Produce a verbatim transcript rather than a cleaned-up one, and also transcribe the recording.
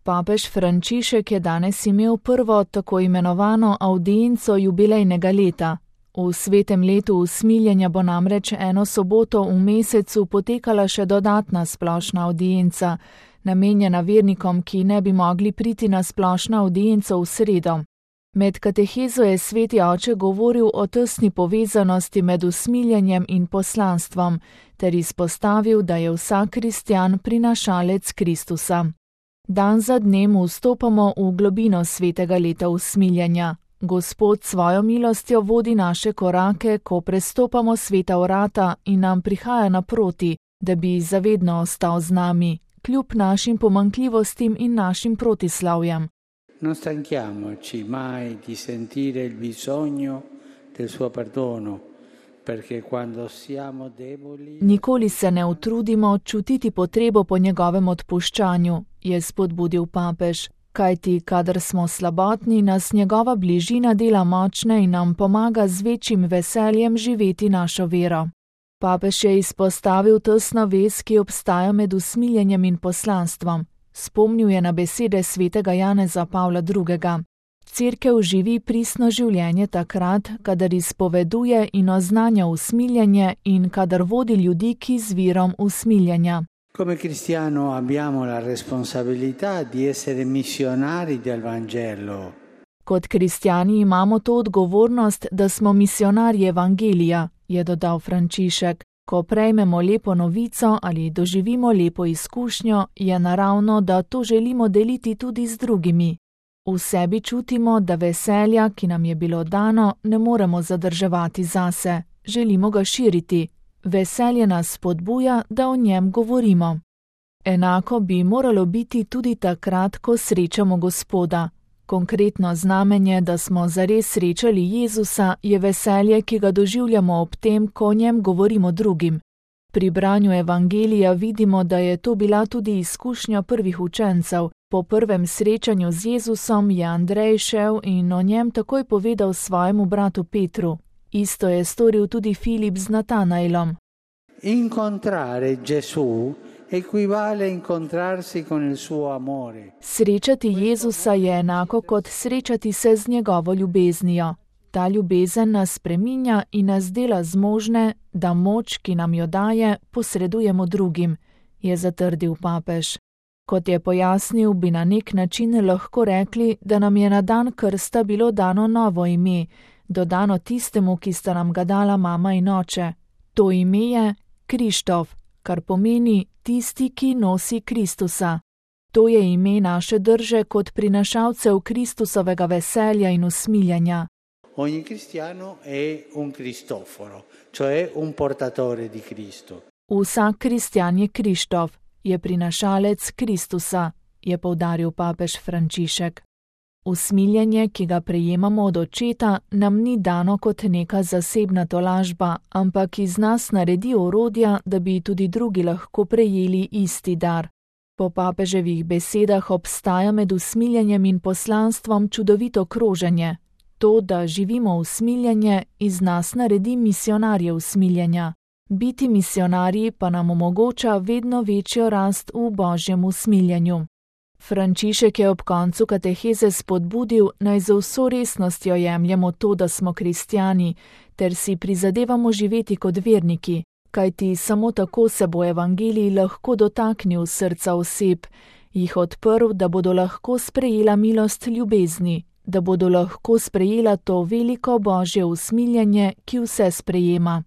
Papež Frančišek je danes imel prvo tako imenovano avdienco jubilejnega leta. V svetem letu usmiljenja bo namreč eno soboto v mesecu potekala še dodatna splošna avdienca, namenjena vernikom, ki ne bi mogli priti na splošno avdienco v sredo. Med katehezo je sveti oče govoril o tesni povezanosti med usmiljenjem in poslanstvom, ter izpostavil, da je vsak kristjan prinašalec Kristusa. Dan za dnem vstopamo v globino svetega leta usmiljenja. Gospod svojo milostjo vodi naše korake, ko prestopamo sveta vrata in nam prihaja naproti, da bi zavedno ostal z nami, kljub našim pomanjkljivostim in našim protislavjem. Non stanchiamoci mai di sentire il bisogno del suo perdono, perché quando siamo deboli... Nikoli se ne utrudimo čutiti potrebo po njegovem odpuščanju, je spodbudil papež, kajti kadar smo slabotni, nas njegova bližina dela močne in nam pomaga z večjim veseljem živeti našo vero. Papež je izpostavil tesno vez, ki obstaja med usmiljenjem in poslanstvom. Spomnil je na besede svetega Janeza Pavla drugega. Cerkev živi pristno življenje takrat, kadar izpoveduje in oznanja usmiljenje in kadar vodi ljudi k izvirom usmiljenja. Come cristiano abbiamo la responsabilità di essere missionari del Vangelo. Kot kristjani imamo to odgovornost, da smo misionarji evangelija, je dodal Frančišek. Ko prejmemo lepo novico ali doživimo lepo izkušnjo, je naravno, da to želimo deliti tudi z drugimi. V sebi čutimo, da veselja, ki nam je bilo dano, ne moremo zadrževati zase, želimo ga širiti. Veselje nas spodbuja, da o njem govorimo. Enako bi moralo biti tudi takrat, ko srečamo Gospoda. Konkretno znamenje, da smo zares srečali Jezusa, je veselje, ki ga doživljamo ob tem, ko o njem govorimo drugim. Pri branju evangelija vidimo, da je to bila tudi izkušnja prvih učencev. Po prvem srečanju z Jezusom je Andrej šel in o njem takoj povedal svojemu bratu Petru. Isto je storil tudi Filip z Natanaelom. Incontrare Gesù equivale incontrarsi con il suo amore. Srečati Jezusa je enako kot srečati se z njegovo ljubeznijo. Ta ljubezen nas spreminja in nas dela zmožne, da moč, ki nam jo daje, posredujemo drugim, je zatrdil papež. Kot je pojasnil, bi na nek način lahko rekli, da nam je na dan krsta bilo dano novo ime, dodano tistemu, ki sta nam ga dala mama in oče. To ime je Krištof, kar pomeni tisti, ki nosi Kristusa. To je ime naše drže kot prinašalcev Kristusovega veselja in usmiljenja. Ogni cristiano è un Cristoforo, cioè un portatore di Cristo. Vsak kristjan je Krištof, je prinašalec Kristusa, je poudaril papež Frančišek. Usmiljenje, ki ga prejemamo od očeta, nam ni dano kot neka zasebna tolažba, ampak iz nas naredi orodja, da bi tudi drugi lahko prejeli isti dar. Po papeževih besedah obstaja med usmiljenjem in poslanstvom čudovito kroženje. To, da živimo usmiljenje, iz nas naredi misionarje usmiljenja. Biti misionarji pa nam omogoča vedno večjo rast v Božjem usmiljenju. Frančišek je ob koncu kateheze spodbudil, naj z vso resnostjo jemljemo to, da smo kristjani, ter si prizadevamo živeti kot verniki, kajti samo tako se bo evangelij lahko dotaknil srca oseb, jih odprl, da bodo lahko sprejela milost ljubezni, da bodo lahko sprejela to veliko Božje usmiljenje, ki vse sprejema.